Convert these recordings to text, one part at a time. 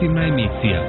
informativna emisija.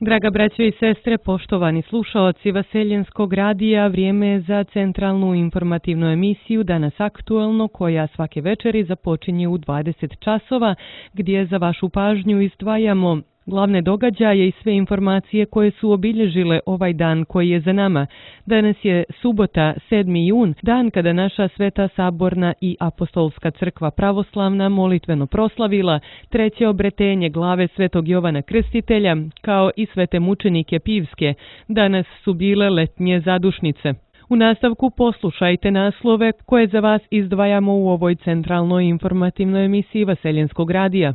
Draga braćo i sestre, poštovani slušaoci Vaseljenskog radija, vrijeme je za centralnu informativnu emisiju Danas aktualno, koja svake večeri započinje u 20 časova, gdje za vašu pažnju izdvajamo glavne događaje i sve informacije koje su obilježile ovaj dan koji je za nama. Danas je subota, 7. jun, dan kada naša Sveta Saborna i Apostolska crkva pravoslavna molitveno proslavila treće obretenje glave Svetog Jovana Krstitelja, kao i svete mučenike Pivske. Danas su bile letnje zadušnice. U nastavku poslušajte naslove koje za vas izdvajamo u ovoj centralnoj informativnoj emisiji Vaseljenskog radija.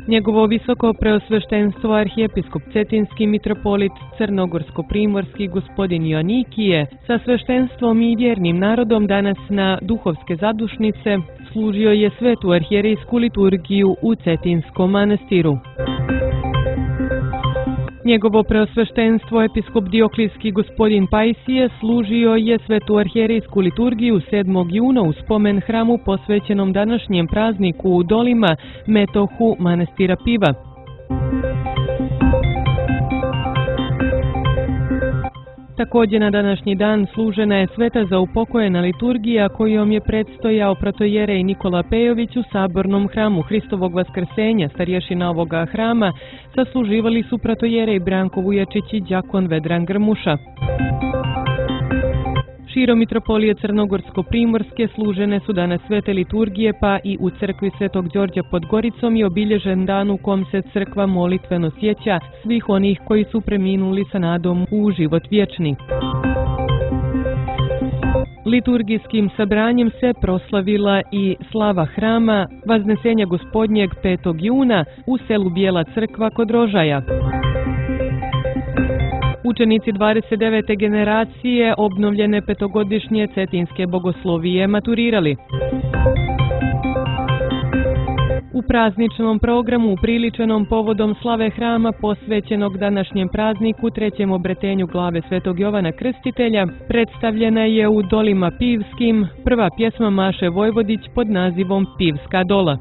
Njegovo visoko preosveštenstvo arhijepiskop Cetinski mitropolit Crnogorsko-primorski gospodin Joanikije sa sveštenstvom i vjernim narodom danas na duhovske zadušnice služio je svetu arhijerejsku liturgiju u Cetinskom manastiru. Njegovo preosveštenstvo episkop Dioklijski gospodin Pajsije služio je svetu arhijerejsku liturgiju 7. juna u spomen hramu posvećenom današnjem prazniku u Dolima Metohu manastira Piva. Također na današnji dan služena je sveta zaupokojena liturgija kojom je predstojao protojerej Nikola Pejović u Sabornom hramu Hristovog vaskrsenja. Starješina ovoga hrama sasluživali su protojerej Branko Vujačić i đakon Vedran Grmuša. Širom mitropolije Crnogorsko-primorske služene su danas svete liturgije, pa i u crkvi Svetog Đorđa pod Goricom je obilježen dan u kom se crkva molitveno sjeća svih onih koji su preminuli sa nadom u život vječni. Liturgijskim sabranjem se proslavila i slava hrama Vaznesenja Gospodnjeg 5. juna u selu Bijela crkva kod Rožaja. Učenici 29. generacije obnovljene petogodišnje Cetinske bogoslovije maturirali. U prazničnom programu upriličenom povodom slave hrama posvećenog današnjem prazniku trećem obretenju glave Svetog Jovana Krstitelja predstavljena je u Dolima Pivskim prva pjesma Maše Vojvodić pod nazivom Pivska dola.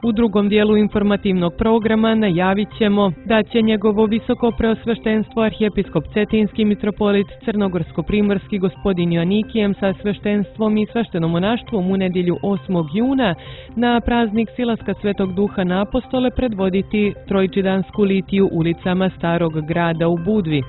U drugom dijelu informativnog programa najavit ćemo da će njegovo visoko preosveštenstvo arhijepiskop Cetinski mitropolit Crnogorsko-primorski gospodin Joanikijem sa sveštenstvom i sveštenomonaštvom u nedjelju 8. juna na praznik silaska Svetog Duha na apostole predvoditi trojčidansku litiju ulicama Starog grada u Budvi.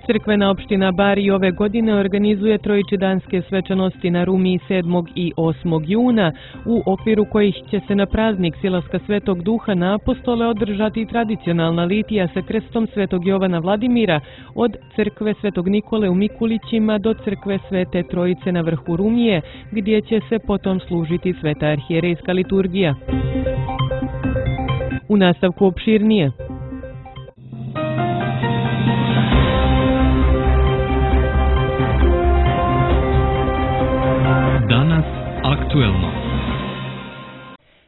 Crkvena opština Bar i ove godine organizuje trojičidanske svečanosti na Rumiji 7. i 8. juna, u okviru kojih će se na praznik silaska Svetog Duha na apostole održati tradicionalna litija sa krstom Svetog Jovana Vladimira od crkve Svetog Nikole u Mikulićima do crkve Svete Trojice na vrhu Rumije, gdje će se potom služiti sveta arhijerejska liturgija. U nastavku opširnije. Danas aktuelno.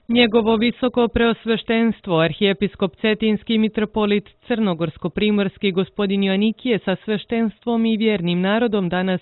Njegovo visoko preosveštenstvo arhijepiskop Cetinski mitropolit Crnogorsko-primorski gospodin Joanikije sa sveštenstvom i vjernim narodom danas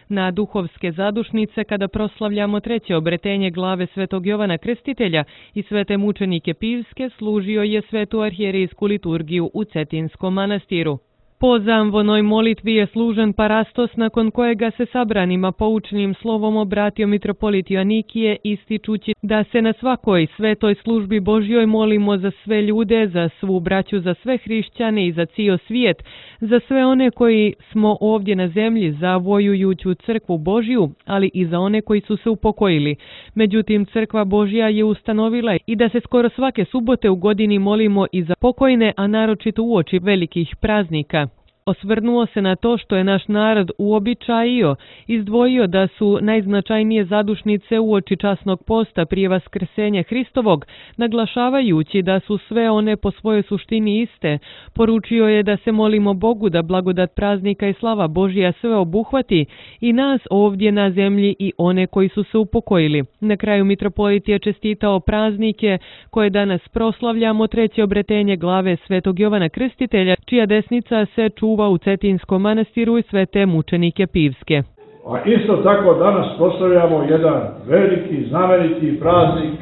na duhovske zadušnice kada proslavljamo treće obretenje glave Svetog Jovana Krstitelja i svete mučenike Pivske služio je svetu arhijerejsku liturgiju u Cetinskom manastiru. Po zamvonoj molitvi je služen parastos nakon kojega se sabranima poučnim slovom obratio mitropolit Joanikije ističući da se na svakoj svetoj službi Božjoj molimo za sve ljude, za svu braću, za sve hrišćane i za cijel svijet, za sve one koji smo ovdje na zemlji, za vojujuću crkvu Božju, ali i za one koji su se upokojili. Međutim, crkva Božja je ustanovila i da se skoro svake subote u godini molimo i za pokojne, a naročito uoči velikih praznika. osvrnuo se na to što je naš narod uobičajio, izdvojio da su najznačajnije zadušnice uoči časnog posta prije vaskrsenja Hristovog, naglašavajući da su sve one po svojoj suštini iste. Poručio je da se molimo Bogu da blagodat praznika i slava Božja sve obuhvati i nas ovdje na zemlji i one koji su se upokojili. Na kraju mitropolit je čestitao praznike koje danas proslavljamo, treće obretenje glave Svetog Jovana Krstitelja, čija desnica se čuva u Cetinskom manastiru i svete mučenike Pivske. A isto tako danas proslavljamo jedan veliki, znameniti praznik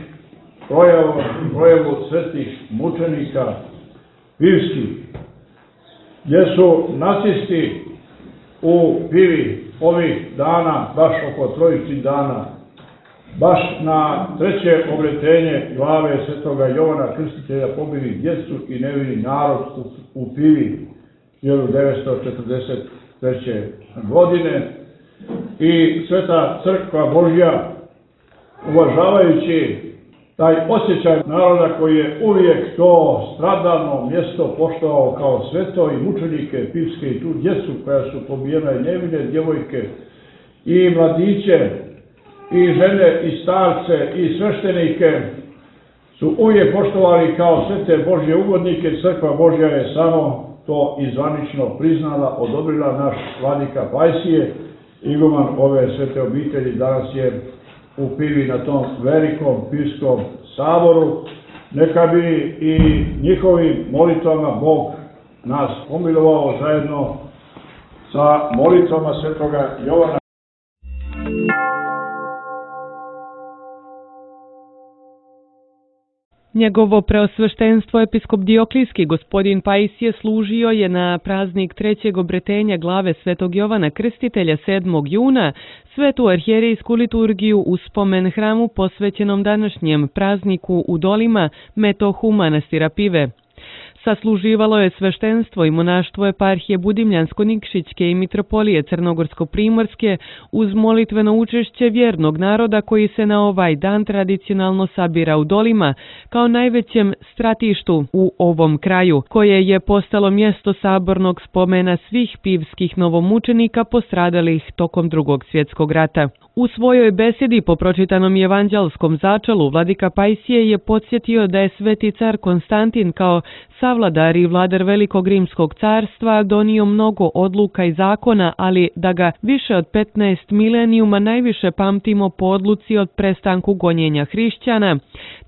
projevu svetih mučenika Pivskih, gdje su nacisti u Pivi ovih dana, baš oko trojici dana, baš na treće obretenje glave Svetoga Jovana Krstitelja pobili djecu i nevini narod u Pivi 1943. godine. I Sveta Crkva Božja, uvažavajući taj osjećaj naroda koji je uvijek to stradalno mjesto poštovao kao sveto i mučenike Pivske i tu djecu koja su pobijena i nevine djevojke i mladiće i žene i starce i sveštenike su uvijek poštovali kao svete Božje ugodnike. Crkva Božja je samo to i zvanično priznala, odobrila. Naš vladika Pajsije, iguman ove svete obitelji, danas je u Pivi na tom velikom pivskom saboru. Neka bi i njihovim molitvama Bog nas pomilovao zajedno sa molitvama Svetoga Jovana. Njegovo preosveštenstvo episkop Dioklijski gospodin Pajsije služio je na praznik trećeg obretenja glave Svetog Jovana Krstitelja 7. juna svetu arhijerejsku liturgiju u spomen hramu posvećenom današnjem prazniku u Dolima, metohu manastira Pive. Sasluživalo je sveštenstvo i monaštvo eparhije Budimljansko-Nikšićke i mitropolije Crnogorsko-Primorske uz molitveno učešće vjernog naroda koji se na ovaj dan tradicionalno sabira u Dolima kao najvećem stratištu u ovom kraju, koje je postalo mjesto sabornog spomena svih pivskih novomučenika postradalih tokom Drugog svjetskog rata. U svojoj besedi po pročitanom evanđelskom začalu vladika Pajsije je podsjetio da je sveti car Konstantin kao savladar i vladar Velikog Rimskog carstva donio mnogo odluka i zakona, ali da ga više od 15 milenijuma najviše pamtimo po odluci od prestanku gonjenja hrišćana,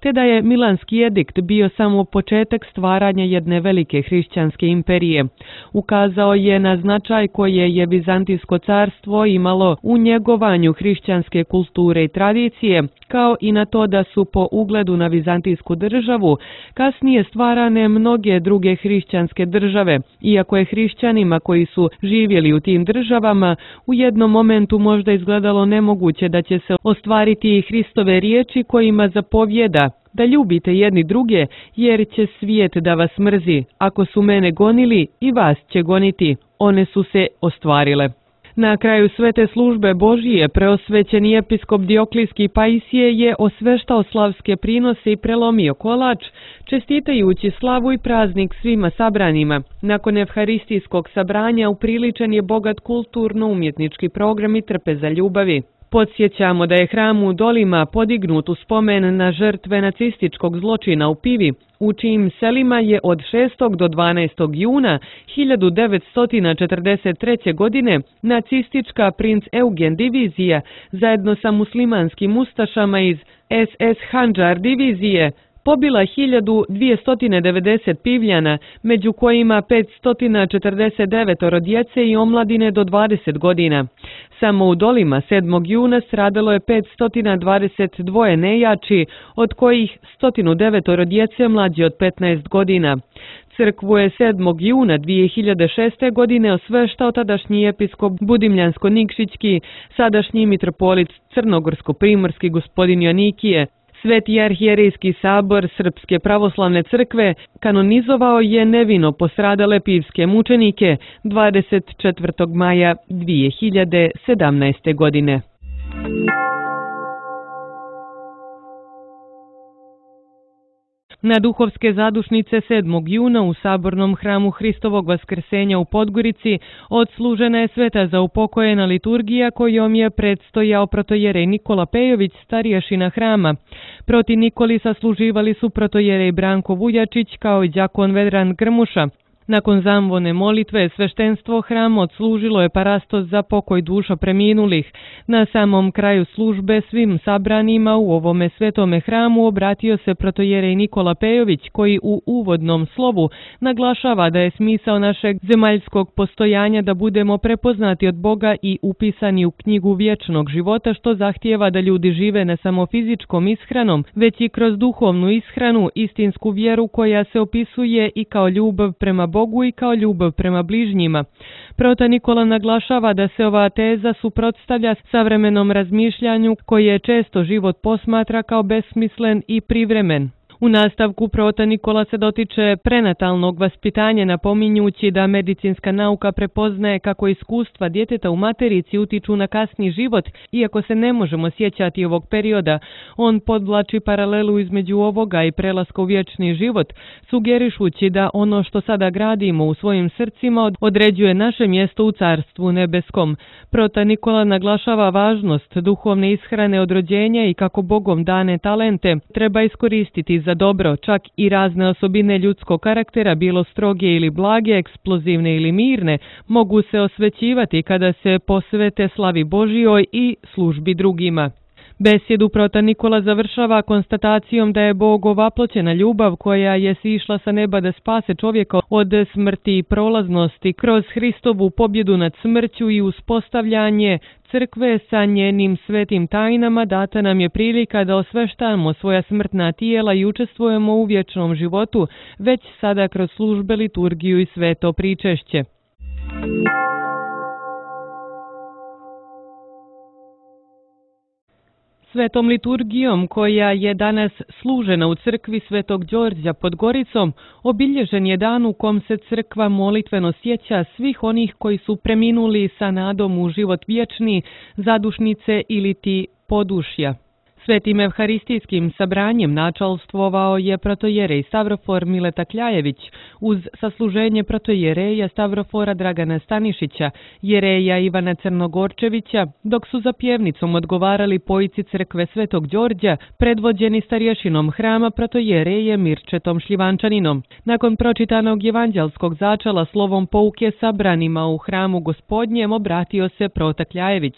te da je Milanski edikt bio samo početak stvaranja jedne velike hrišćanske imperije. Ukazao je na značaj koje je Vizantijsko carstvo imalo u njegovanju hrišćanske kulture i tradicije, kao i na to da su po ugledu na Vizantijsku državu kasnije stvarane mnoge druge hrišćanske države, iako je hrišćanima koji su živjeli u tim državama u jednom momentu možda izgledalo nemoguće da će se ostvariti Hristove riječi kojima zapovjeda da ljubite jedni druge, jer će svijet da vas mrzi. Ako su mene gonili, i vas će goniti. One su se ostvarile. Na kraju svete službe Božije preosvećeni episkop Dioklijski Pajsije je osveštao slavske prinose i prelomio kolač, čestitajući slavu i praznik svima sabranima. Nakon evharistijskog sabranja upriličen je bogat kulturno-umjetnički program i trpeza ljubavi. Podsjećamo da je hram u Dolima podignut u spomen na žrtve nacističkog zločina u Pivi, u čijim selima je od 6. do 12. juna 1943. godine nacistička princ Eugen divizija zajedno sa muslimanskim ustašama iz SS Handžar divizije pobila 1290 Pivljana, među kojima 549 djece i omladine do 20 godina. Samo u Dolima 7. juna stradalo je 522 nejači, od kojih 109 djece mlađe od 15 godina. Crkvu je 7. juna 2006. godine osveštao tadašnji episkop Budimljansko-Nikšićki, sadašnji mitropolit Crnogorsko-Primorski gospodin Joanikije. Sveti arhijerejski sabor Srpske pravoslavne crkve kanonizovao je nevino postradale pivske mučenike 24. maja 2017. godine. Na duhovske zadušnice 7. juna u Sabornom hramu Hristovog Vaskrsenja u Podgorici odslužena je sveta za upokojena liturgija kojom je predstojao protojerej Nikola Pejović, starješina hrama. Proti Nikoli sasluživali su protojerej Branko Vujačić kao i đakon Vedran Grmuša. Nakon zamvone molitve, sveštenstvo hrama odslužilo je parastos za pokoj duša preminulih. Na samom kraju službe svim sabranima u ovome svetome hramu obratio se protojerej Nikola Pejović, koji u uvodnom slovu naglašava da je smisao našeg zemaljskog postojanja da budemo prepoznati od Boga i upisani u knjigu vječnog života, što zahtijeva da ljudi žive ne samo fizičkom ishranom, već i kroz duhovnu ishranu, istinsku vjeru koja se opisuje i kao ljubav prema Bogu i kao ljubav prema bližnjima. Prota Nikola naglašava da se ova teza suprotstavlja savremenom razmišljanju koje često život posmatra kao besmislen i privremen. U nastavku prota Nikola se dotiče prenatalnog vaspitanja, napominjući da medicinska nauka prepoznaje kako iskustva djeteta u materici utiču na kasni život, iako se ne možemo sjećati ovog perioda. On podvlači paralelu između ovoga i prelaska u vječni život, sugerišući da ono što sada gradimo u svojim srcima određuje naše mjesto u Carstvu nebeskom. Prota Nikola naglašava važnost duhovne ishrane od rođenja i kako Bogom dane talente treba iskoristiti za dobro, čak i razne osobine ljudskog karaktera, bilo stroge ili blage, eksplozivne ili mirne, mogu se osvećivati kada se posvete slavi Božijoj i službi drugima. Besjedu prota Nikola završava konstatacijom da je Bog ovaploćena ljubav koja je sišla sa neba da spase čovjeka od smrti i prolaznosti kroz Hristovu pobjedu nad smrću i uspostavljanje crkve sa njenim svetim tajnama. Data nam je prilika da osveštamo svoja smrtna tijela i učestvujemo u vječnom životu, već sada kroz službe, liturgiju i sveto pričešće. Svetom liturgijom koja je danas služena u crkvi Svetog Đorđa pod Goricom obilježen je dan u kom se crkva molitveno sjeća svih onih koji su preminuli sa nadom u život vječni, zadušnice ili ti podušja. Svetim evharistijskim sabranjem načalstvovao je protojerej Stavrofor Mileta Kljajević uz sasluženje protojereja Stavrofora Dragana Stanišića, jereja Ivana Crnogorčevića, dok su za pjevnicom odgovarali pojici crkve Svetog Đorđa, predvođeni starješinom hrama protojerejem Mirčetom Šljivančaninom. Nakon pročitanog evanđelskog začala slovom pouke sabranima u hramu Gospodnjem obratio se prota Kljajević.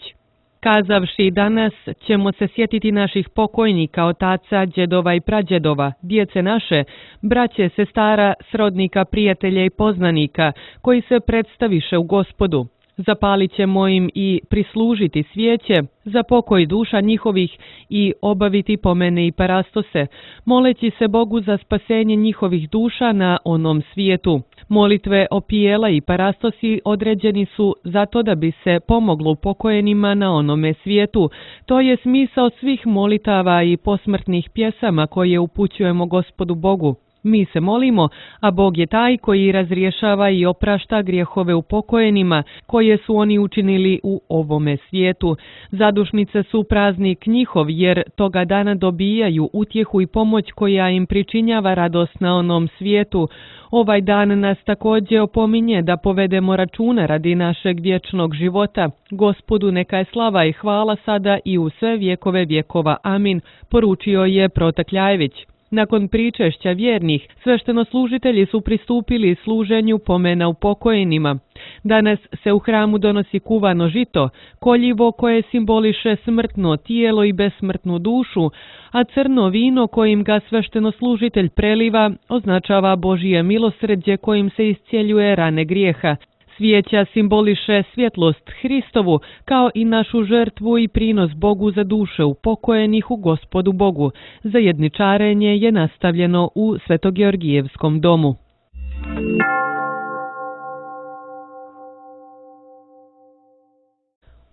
Kazavši danas ćemo se sjetiti naših pokojnika, otaca, djedova i prađedova, djece naše, braće, sestara, srodnika, prijatelja i poznanika, koji se predstaviše u Gospodu. Zapalit ćemo im i prislužiti svijeće za pokoj duša njihovih i obaviti pomene i parastose, moleći se Bogu za spasenje njihovih duša na onom svijetu. Molitve opijela i parastosi određeni su zato da bi se pomoglo upokojenima na onome svijetu. To je smisao svih molitava i posmrtnih pjesama koje upućujemo Gospodu Bogu. Mi se molimo, a Bog je taj koji razrješava i oprašta grijehove upokojenima koje su oni učinili u ovome svijetu. Zadušnice su praznik njihov jer toga dana dobijaju utjehu i pomoć koja im pričinjava radost na onom svijetu. Ovaj dan nas također opominje da povedemo računa radi našeg vječnog života. Gospodu neka je slava i hvala sada i u sve vjekove vjekova. Amin, poručio je prota Kljajević. Nakon pričešća vjernih, sveštenoslužitelji su pristupili služenju pomena upokojenima. Danas se u hramu donosi kuvano žito, koljivo koje simboliše smrtno tijelo i besmrtnu dušu, a crno vino kojim ga sveštenoslužitelj preliva označava Božije milosrđe kojim se iscjeljuje rane grijeha. Svijeća simboliše svjetlost Hristovu, kao i našu žrtvu i prinos Bogu za duše upokojenih u Gospodu Bogu. Zajedničarenje je nastavljeno u Svetogeorgijevskom domu.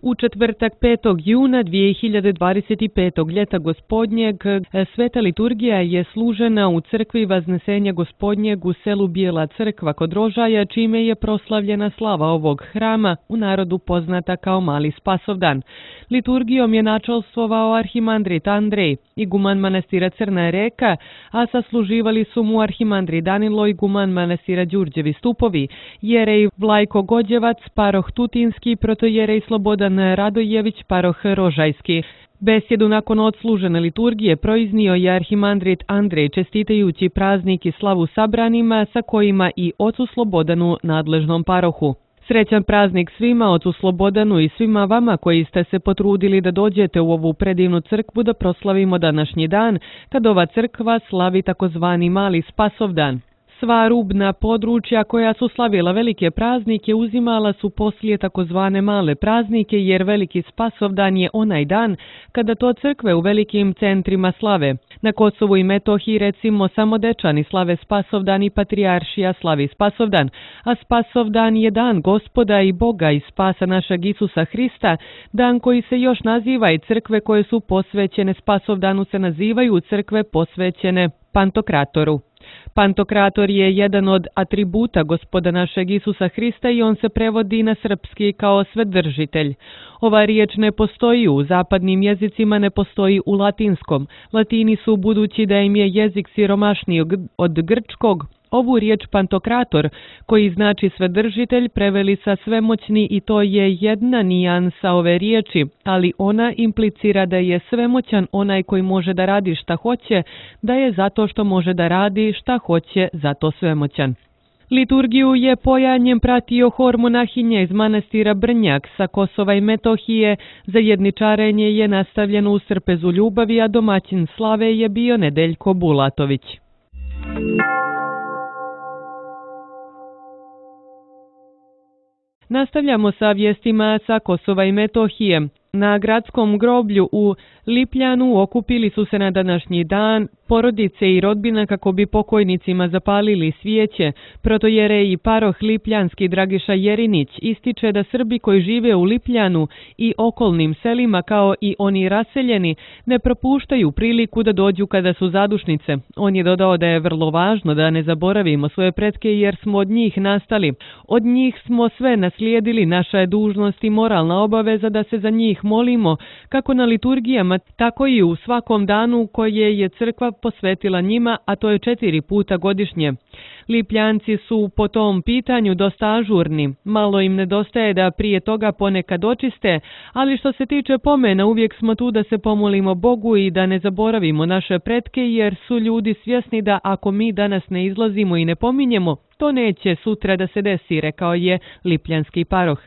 U četvrtak 5. juna 2025. ljeta gospodnjeg, sveta liturgija je služena u crkvi Vaznesenja gospodnjeg u selu Bijela crkva kod Rožaja, čime je proslavljena slava ovog hrama, u narodu poznata kao Mali Spasovdan. Liturgijom je načelstvovao arhimandrit Andrej, iguman manastira Crna Reka, a sasluživali su mu arhimandrit Danilo, iguman manastira Đurđevi Stupovi, jerej Vlajko Gođevac, paroh Tutinski, protojerej Slobodan Radojević, paroh Rožajski. Besjedu nakon odslužene liturgije proiznio je arhimandrit Andrej čestitajući praznik i slavu sabranima, sa kojima i ocu Slobodanu, nadležnom parohu. Srećan praznik svima, ocu Slobodanu i svima vama koji ste se potrudili da dođete u ovu predivnu crkvu da proslavimo današnji dan, kad ova crkva slavi takozvani Mali Spasovdan. Sva rubna područja koja su slavila velike praznike uzimala su poslije takozvane male praznike, jer Veliki Spasovdan je onaj dan kada to crkve u velikim centrima slave. Na Kosovu i Metohiji recimo samo Dečani slave Spasovdan i Patrijaršija slavi Spasovdan, a Spasovdan je dan Gospoda i Boga i spasa našeg Isusa Hrista, dan koji se još naziva i crkve koje su posvećene Spasovdanu se nazivaju crkve posvećene Pantokratoru. Pantokrator je jedan od atributa Gospoda našeg Isusa Hrista i on se prevodi na srpski kao svedržitelj. Ova riječ ne postoji u zapadnim jezicima, ne postoji u latinskom. Latini su, budući da im je jezik siromašniji od grčkog, ovu riječ pantokrator, koji znači svedržitelj, preveli sa svemoćni i to je jedna nijansa ove riječi, ali ona implicira da je svemoćan onaj koji može da radi šta hoće, da je zato što može da radi šta hoće zato svemoćan. Liturgiju je pojanjem pratio hor monahinja iz manastira Brnjak sa Kosova i Metohije, zajedničarenje je nastavljeno u Srpezu ljubavi, a domaćin slave je bio Nedeljko Bulatović. Nastavljamo sa vijestima sa Kosova i Metohije. Na gradskom groblju u Lipljanu okupili su se na današnji dan porodice i rodbina kako bi pokojnicima zapalili svijeće. Protojerej i paroh Lipljanski Dragiša Jerinić ističe da Srbi koji žive u Lipljanu i okolnim selima kao i oni raseljeni ne propuštaju priliku da dođu kada su zadušnice. On je dodao da je vrlo važno da ne zaboravimo svoje pretke jer smo od njih nastali. Od njih smo sve naslijedili, naša je dužnost i moralna obaveza da se za njih molimo, kako na liturgijama, tako i u svakom danu koje je crkva posvetila njima, a to je 4 puta godišnje. Lipljanci su po tom pitanju dosta ažurni, malo im nedostaje da prije toga ponekad očiste, ali što se tiče pomena uvijek smo tu da se pomolimo Bogu i da ne zaboravimo naše pretke, jer su ljudi svjesni da ako mi danas ne izlazimo i ne pominjemo, to neće sutra da se desi, rekao je lipljanski paroh.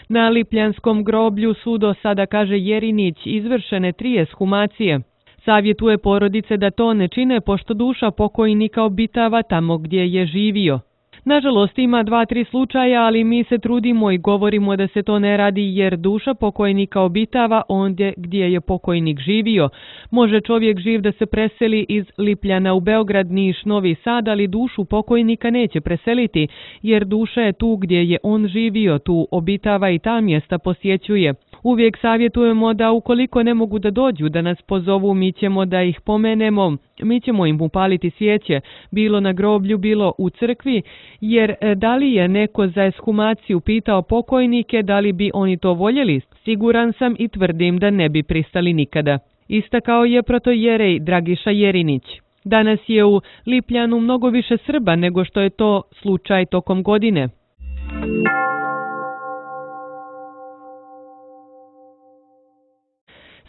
Na lipljanskom groblju su do sada, kaže Jerinić, izvršene 3 ekshumacije. Savjetuje porodice da to ne čine pošto duša pokojnika obitava tamo gdje je živio. Nažalost ima 2-3 slučaja, ali mi se trudimo i govorimo da se to ne radi jer duša pokojnika obitava ondje gdje je pokojnik živio. Može čovjek živ da se preseli iz Lipljana u Beograd, Niš, Novi Sad, ali dušu pokojnika neće preseliti jer duša je tu gdje je on živio, tu obitava i ta mjesta posjećuje. Uvijek savjetujemo da ukoliko ne mogu da dođu da nas pozovu, mi ćemo da ih pomenemo, mi ćemo im upaliti svijeće, bilo na groblju, bilo u crkvi, jer da li je neko za ekshumaciju pitao pokojnike da li bi oni to voljeli, siguran sam i tvrdim da ne bi pristali nikada. Istakao je protojerej Dragiša Jerinić. Danas je u Lipljanu mnogo više Srba nego što je to slučaj tokom godine.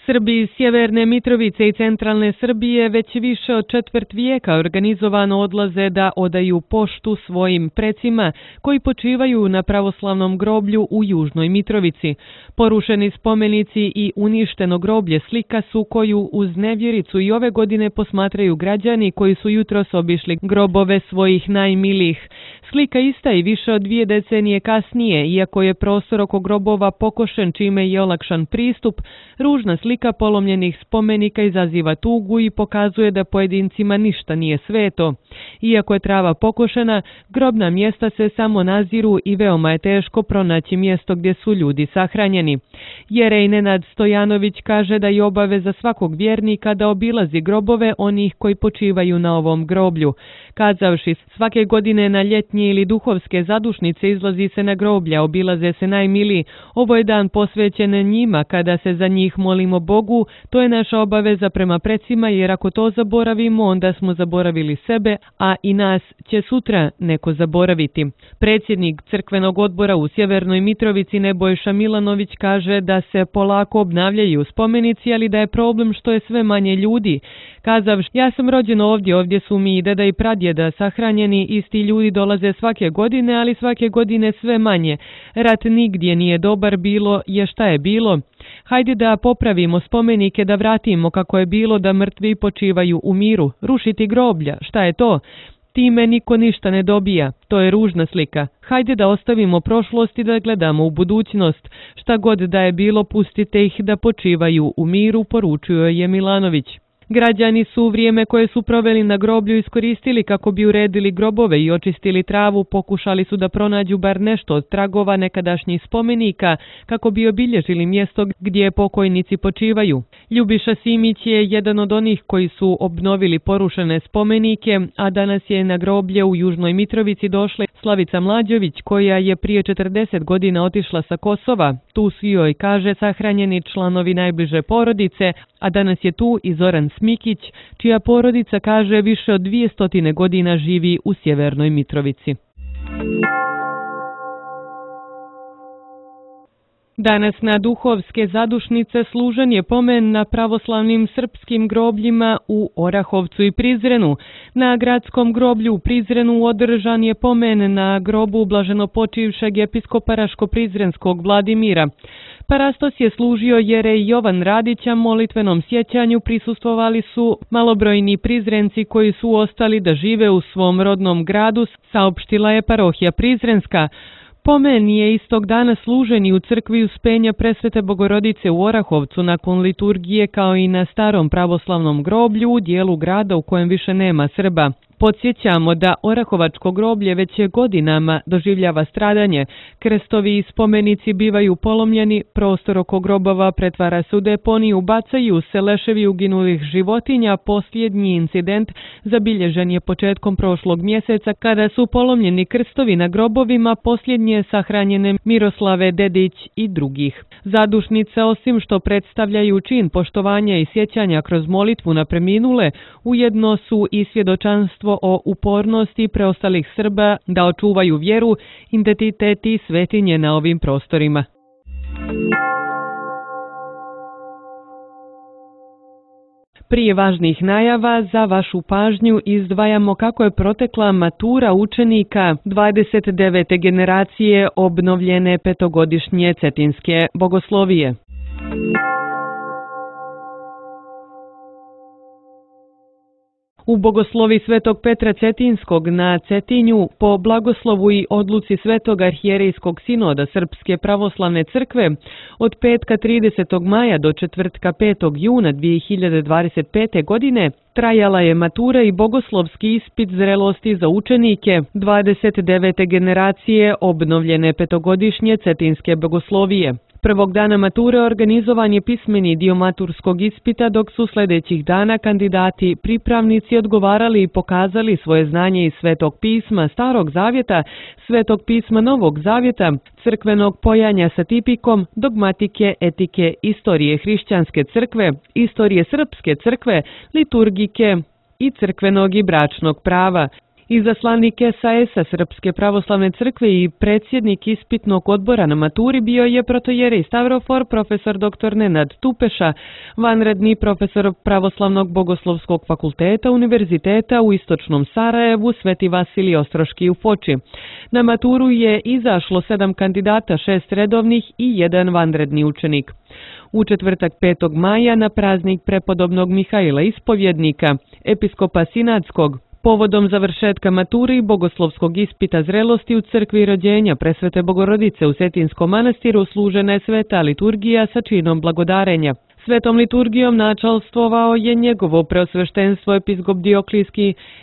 Srbi iz Sjeverne Mitrovice i centralne Srbije već više od 1/4 vijeka organizovano odlaze da odaju poštu svojim precima koji počivaju na pravoslavnom groblju u Južnoj Mitrovici. Porušeni spomenici i uništeno groblje slika su koju uz nevjericu i ove godine posmatraju građani koji su jutros obišli grobove svojih najmilijih. Slika ista i više od 2 decenije kasnije, iako je prostor oko grobova pokošen čime je olakšan pristup, ružna slika slika polomljenih spomenika izaziva tugu i pokazuje da pojedincima ništa nije sveto. Iako je trava pokošena, grobna mjesta se samo naziru i veoma je teško pronaći mjesto gdje su ljudi sahranjeni. Jerej Nenad Stojanović kaže da je obaveza svakog vjernika da obilazi grobove onih koji počivaju na ovom groblju. Kazavši, svake godine na ljetnje ili duhovske zadušnice izlazi se na groblja, obilaze se najmiliji. Ovo je dan posvećen njima kada se za njih molimo Bogu, to je naša obaveza prema precima, jer ako to zaboravimo, onda smo zaboravili sebe, a i nas će sutra neko zaboraviti. Predsjednik crkvenog odbora u Sjevernoj Mitrovici Nebojša Milanović kaže da se polako obnavljaju spomenici, ali da je problem što je sve manje ljudi. Kazavši, ja sam rođen ovdje su mi i deda i pradjeda sahranjeni, isti ljudi dolaze svake godine, ali svake godine sve manje. Rat nigdje nije dobar, bilo je šta je bilo. Hajde da popravimo spomenike, da vratimo kako je bilo, da mrtvi počivaju u miru. Rušiti groblja, šta je to? Time niko ništa ne dobija, to je ružna slika. Hajde da ostavimo prošlost i da gledamo u budućnost. Šta god da je bilo, pustite ih da počivaju u miru, poručuje je Milanović. Građani su vrijeme koje su proveli na groblju iskoristili kako bi uredili grobove i očistili travu, pokušali su da pronađu bar nešto od tragova nekadašnjih spomenika kako bi obilježili mjesto gdje pokojnici počivaju. Ljubiša Simić je jedan od onih koji su obnovili porušene spomenike, a danas je na groblje u Južnoj Mitrovici došla Slavica Mlađović, koja je prije 40 godina otišla sa Kosova. Tu su joj, kaže, sahranjeni članovi najbliže porodice, a danas je tu i Zoran Smikić, čija porodica, kaže, više od 200 godina živi u Sjevernoj Mitrovici. Danas na duhovske zadušnice služen je pomen na pravoslavnim srpskim grobljima u Orahovcu i Prizrenu. Na gradskom groblju u Prizrenu održan je pomen na grobu blaženopočivšeg episkopa Raško-Prizrenskog Vladimira. Parastos je služio jerej Jovan Radića, molitvenom sjećanju prisustvovali su malobrojni Prizrenci koji su ostali da žive u svom rodnom gradu, saopštila je parohija Prizrenska. Pomen je istog dana služen i u crkvi Uspenja Presvete Bogorodice u Orahovcu nakon liturgije, kao i na starom pravoslavnom groblju u dijelu grada u kojem više nema Srba. Podsjećamo da Orahovačko groblje već godinama doživljava stradanje. Krestovi i spomenici bivaju polomljeni, prostor oko grobova pretvara se u deponiju, bacaju se leševi uginulih životinja. Posljednji incident zabilježen je početkom prošlog mjeseca kada su polomljeni krstovi na grobovima posljednje sahranjene Miroslave Dedić i drugih. Zadušnice, osim što predstavljaju čin poštovanja i sjećanja kroz molitvu na preminule, ujedno su i svjedočanstvo o upornosti preostalih Srba da očuvaju vjeru, identitet i svetinje na ovim prostorima. Prije važnih najava za vašu pažnju izdvajamo kako je protekla matura učenika 29. generacije obnovljene petogodišnje Cetinske bogoslovije. U bogoslovi Svetog Petra Cetinskog na Cetinju, po blagoslovu i odluci Svetog arhijerejskog sinoda Srpske pravoslavne crkve, od petka 30. maja do četvrtka 5. juna 2025. godine trajala je matura i bogoslovski ispit zrelosti za učenike 29. generacije obnovljene petogodišnje Cetinske bogoslovije. Prvog dana mature organizovan je pismeni dio maturskog ispita, dok su sljedećih dana kandidati pripravnici odgovarali i pokazali svoje znanje iz Svetog pisma Starog zavjeta, Svetog pisma Novog zavjeta, crkvenog pojanja sa tipikom, dogmatike, etike, istorije hrišćanske crkve, istorije srpske crkve, liturgike i crkvenog i bračnog prava. Izaslanik SAS-a Srpske pravoslavne crkve i predsjednik ispitnog odbora na maturi bio je protojerej Stavrofor, profesor dr. Nenad Tupeša, vanredni profesor Pravoslavnog bogoslovskog fakulteta Univerziteta u Istočnom Sarajevu, Sveti Vasilij Ostroški u Foči. Na maturu je izašlo 7 kandidata, 6 redovnih i 1 vanredni učenik. U četvrtak 5. maja na praznik prepodobnog Mihaila Ispovjednika, episkopa Sinadskog, povodom završetka mature i bogoslovskog ispita zrelosti u crkvi rođenja Presvete Bogorodice u Cetinskom manastiru služena je sveta liturgija sa činom blagodarenja. Svetom liturgijom načalstvovao je njegovo preosveštenstvo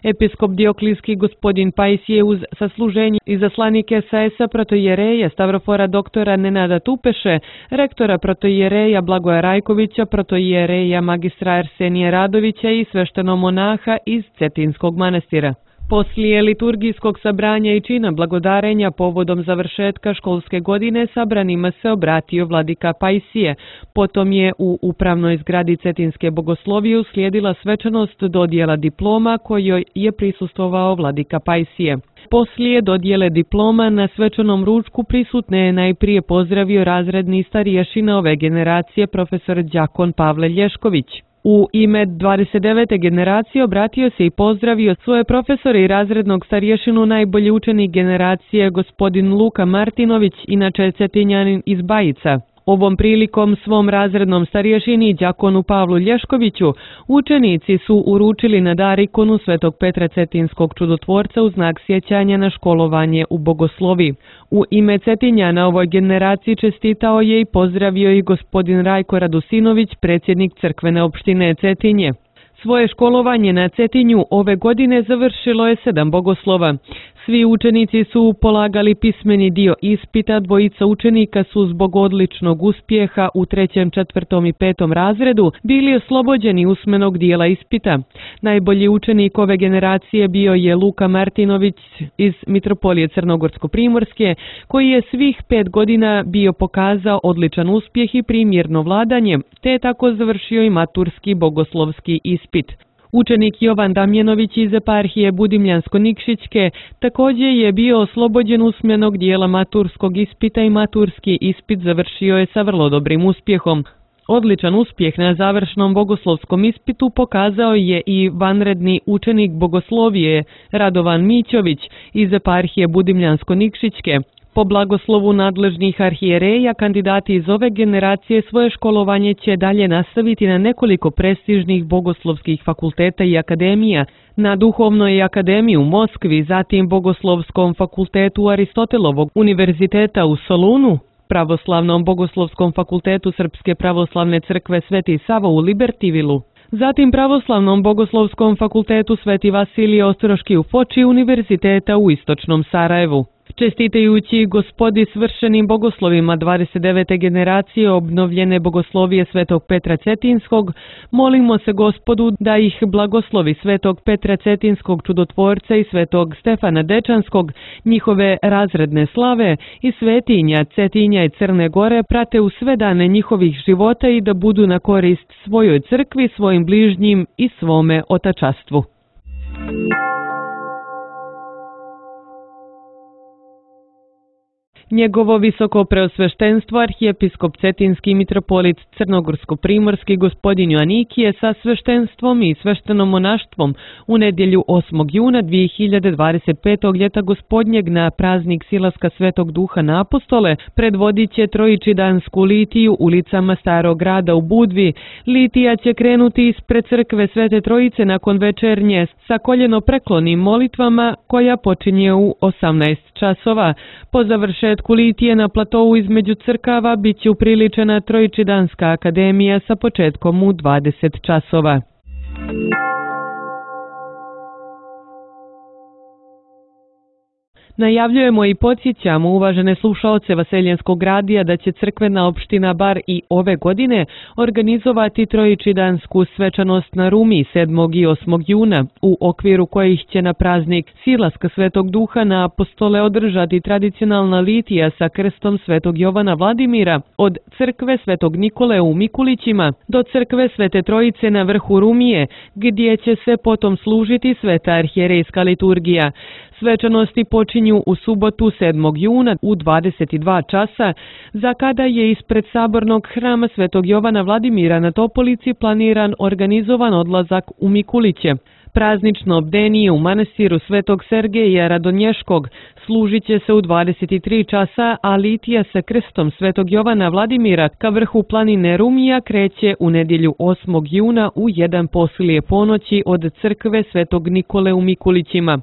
episkop Dioklijski gospodin Pajsije uz sasluženje izaslanike SS-a protoijereja Stavrofora doktora Nenada Tupeše, rektora protoijereja Blagoja Rajkovića, protoijereja magistra Arsenija Radovića i sveštenomonaha iz Cetinskog manastira. Poslije liturgijskog sabranja i čina blagodarenja povodom završetka školske godine sabranima se obratio vladika Pajsije. Potom je u upravnoj zgradi Cetinske bogoslovije uslijedila svečanost dodjela diploma kojoj je prisustvovao vladika Pajsije. Poslije dodjele diploma na svečanom ručku prisutne je najprije pozdravio razredni starješina ove generacije profesor đakon Pavle Lješković. U ime 29. generacije obratio se i pozdravio svoje profesore i razrednog starješinu najbolji učenik generacije gospodin Luka Martinović, inače Cetinjanin iz Bajica. Ovom prilikom svom razrednom starješini đakonu Pavlu Lješkoviću učenici su uručili na dar ikonu Svetog Petra Cetinskog čudotvorca u znak sjećanja na školovanje u bogoslovi. U ime Cetinjana ovoj generaciji čestitao je i pozdravio i gospodin Rajko Radusinović, predsjednik crkvene opštine Cetinje. Svoje školovanje na Cetinju ove godine završilo je 7 bogoslova. Svi učenici su polagali pismeni dio ispita, dvojica učenika su zbog odličnog uspjeha u 3., 4. i 5. razredu bili oslobođeni usmenog dijela ispita. Najbolji učenik ove generacije bio je Luka Martinović iz Mitropolije Crnogorsko-Primorske, koji je svih 5 godina bio pokazao odličan uspjeh i primjerno vladanje, te je tako završio i maturski bogoslovski ispit. Učenik Jovan Damjanović iz eparhije Budimljansko-Nikšićke također je bio oslobođen usmenog dijela maturskog ispita i maturski ispit završio je sa vrlo dobrim uspjehom. Odličan uspjeh na završnom bogoslovskom ispitu pokazao je i vanredni učenik bogoslovije Radovan Mićović iz eparhije Budimljansko-Nikšićke. Po blagoslovu nadležnih arhijereja, kandidati iz ove generacije svoje školovanje će dalje nastaviti na nekoliko prestižnih bogoslovskih fakulteta i akademija, na Duhovnoj akademiji u Moskvi, zatim Bogoslovskom fakultetu Aristotelovog univerziteta u Solunu, Pravoslavnom bogoslovskom fakultetu Srpske pravoslavne crkve Sveti Sava u Libertivilu, zatim Pravoslavnom bogoslovskom fakultetu Sveti Vasilije Ostroški u Foči univerziteta u Istočnom Sarajevu. Čestitajući gospodi svršenim bogoslovima 29. generacije obnovljene bogoslovije Svetog Petra Cetinskog, molimo se Gospodu da ih blagoslovi Svetog Petra Cetinskog čudotvorca i Svetog Stefana Dečanskog, njihove razredne slave i svetinja Cetinja i Crne Gore prate u sve dane njihovih života i da budu na korist svojoj crkvi, svojim bližnjim i svome otačastvu. Njegovo visoko preosveštenstvo arhijepiskop Cetinski mitropolit Crnogorsko-Primorski gospodin Joanikije sa sveštenstvom i sveštenomonaštvom u nedjelju 8. juna 2025. ljeta gospodnjeg na praznik silaska Svetog Duha na apostole predvodit će trojičidansku litiju ulicama Starog grada u Budvi. Litija će krenuti ispred crkve Svete Trojice nakon večernje sa koljenopreklonim molitvama koja počinje u 18 časova. Po završetku litije na platovu između crkava bit će upriličena Trojičidanska akademija sa početkom u 20 časova. Najavljujemo i podsjećamo uvažene slušaoce Vaseljenskog radija da će crkvena opština Bar i ove godine organizovati trojičidansku svečanost na Rumi 7. i 8. juna, u okviru kojih će na praznik silaska Svetog Duha na apostole održati tradicionalna litija sa krstom Svetog Jovana Vladimira od crkve Svetog Nikole u Mikulićima do crkve Svete Trojice na vrhu Rumije, gdje će se potom služiti sveta arhijerejska liturgija. Svečanosti počinju u subotu 7. juna u 22 časa, za kada je ispred sabornog hrama Svetog Jovana Vladimira na Topolici planiran organizovan odlazak u Mikuliće. Praznično bdenije u manastiru Svetog Sergeja Radonješkog služit će se u 23 časa, a litija sa krstom Svetog Jovana Vladimira ka vrhu planine Rumija kreće u nedjelju 8. juna u 1 poslije ponoći od crkve Svetog Nikole u Mikulićima.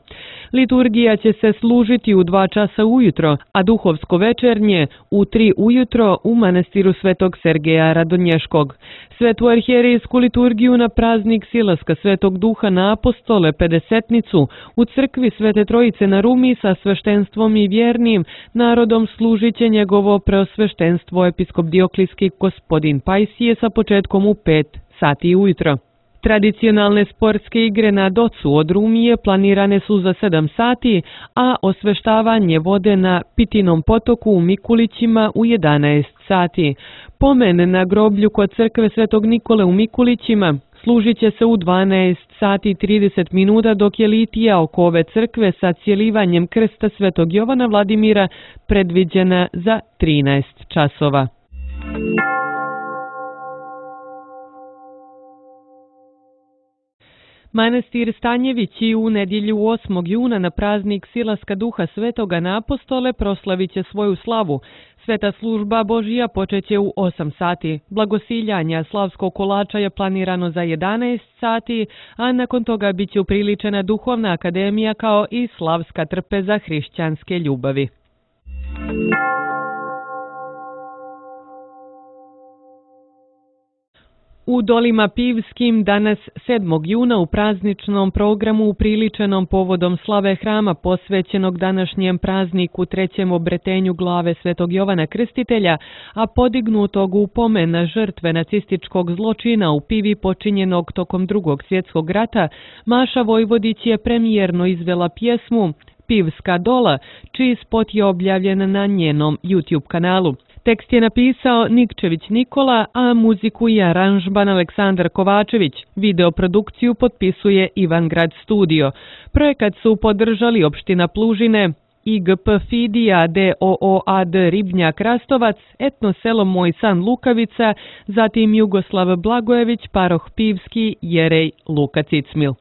Liturgija će se služiti u 2 časa ujutro, a duhovsko večernje u 3 ujutro u manastiru Svetog Sergeja Radonješkog. Svetu arhijerijsku liturgiju na praznik Silaska Svetog Duha na apostole Pedesetnicu u crkvi Svete Trojice na Rumi sa sveštenstvom i vjernim narodom služit će njegovo preosveštenstvo episkop Dioklijski gospodin Pajsije sa početkom u 5 sati ujutro. Tradicionalne sportske igre na Docu od Rumije planirane su za 7 sati, a osveštavanje vode na Pitinom potoku u Mikulićima u 11 sati. Pomen na groblju kod crkve Svetog Nikole u Mikulićima služit će se u 12 sati 30 minuta, dok je litija oko ove crkve sa cjelivanjem krsta Svetog Jovana Vladimira predviđena za 13 časova. Manastir Stanjevići u nedjelju 8. juna na praznik Silaska Duha Svetoga na apostole proslavit će svoju slavu. Sveta služba Božija počeće u 8 sati. Blagosiljanja slavskog kolača je planirano za 11 sati, a nakon toga bit će upriličena duhovna akademija kao i slavska trpeza hrišćanske ljubavi. U Dolima Pivskim danas 7. juna u prazničnom programu upriličenom povodom slave hrama posvećenog današnjem prazniku trećem obretenju glave Svetog Jovana Krstitelja, a podignutog u pomen na žrtve nacističkog zločina u Pivi počinjenog tokom Drugog svjetskog rata, Maša Vojvodić je premijerno izvela pjesmu Pivska dola, čiji spot je objavljen na njenom YouTube kanalu. Tekst je napisao Nikčević Nikola, a muziku i aranžman Aleksandar Kovačević. Videoprodukciju potpisuje Ivan Grad Studio. Projekat su podržali opština Plužine, IGP Fidija, DOOAD Ribnjak Rastovac, etno selo Moj San Lukavica, zatim Jugoslav Blagojević, paroh Pivski, Jerej Luka Cicmil.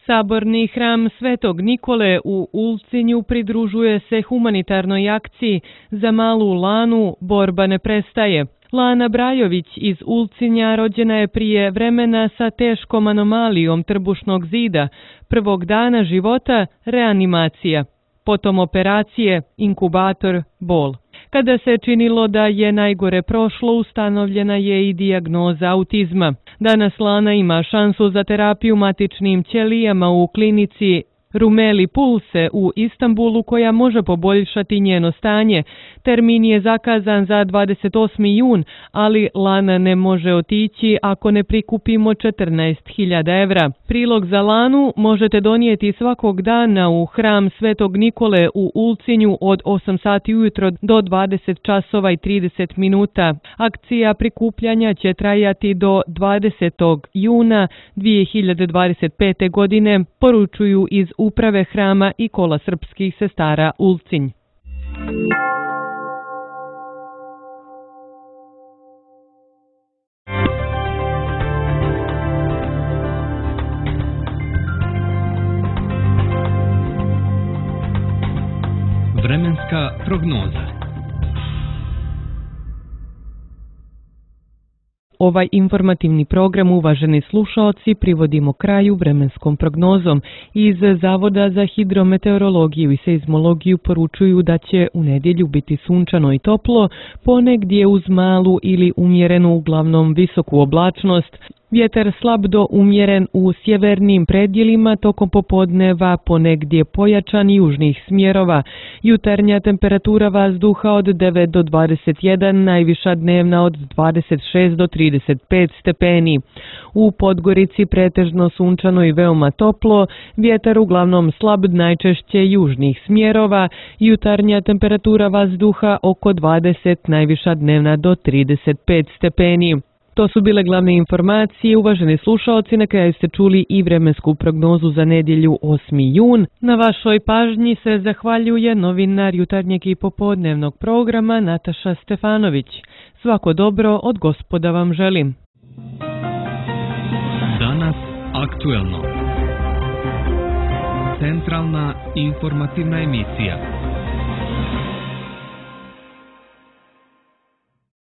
Saborni hram Svetog Nikole u Ulcinju pridružuje se humanitarnoj akciji Za malu Lanu borba ne prestaje. Lana Brajović iz Ulcinja rođena je prije vremena sa teškom anomalijom trbušnog zida. Prvog dana života reanimacija, potom operacije, inkubator, bol. Kada se činilo da je najgore prošlo, ustanovljena je i dijagnoza autizma. Danas Lana ima šansu za terapiju matičnim ćelijama u klinici Rumeli Pulse u Istanbulu, koja može poboljšati njeno stanje. Termin je zakazan za 28. jun, ali Lana ne može otići ako ne prikupimo 14.000 evra. Prilog za Lanu možete donijeti svakog dana u hram Svetog Nikole u Ulcinju od 8 sati ujutro do 20 časova i 30 minuta. Akcija prikupljanja će trajati do 20. juna 2025. godine, poručuju iz uprave hrama i kola srpskih sestara Ulcinj. Vremenska prognoza. Ovaj informativni program, uvaženi slušaoci, privodimo kraju vremenskom prognozom. Iz Zavoda za hidrometeorologiju i seizmologiju poručuju da će u nedjelju biti sunčano i toplo, ponegdje uz malu ili umjerenu, uglavnom visoku oblačnost. Vjetar slab do umjeren u sjevernim predjelima, tokom popodneva ponegdje pojačan južnih smjerova. Jutarnja temperatura vazduha od 9 do 21, najviša dnevna od 26 do 35 stepeni. U Podgorici pretežno sunčano i veoma toplo, vjetar uglavnom slab, najčešće južnih smjerova. Jutarnja temperatura vazduha oko 20, najviša dnevna do 35 stepeni. To su bile glavne informacije, uvaženi slušaoci, na kraju ste čuli i vremensku prognozu za nedjelju 8. jun. Na vašoj pažnji se zahvaljuje novinar jutarnjeg i popodnevnog programa Nataša Stefanović. Svako dobro od Gospoda vam želim. Danas aktuelno. Centralna informativna emisija.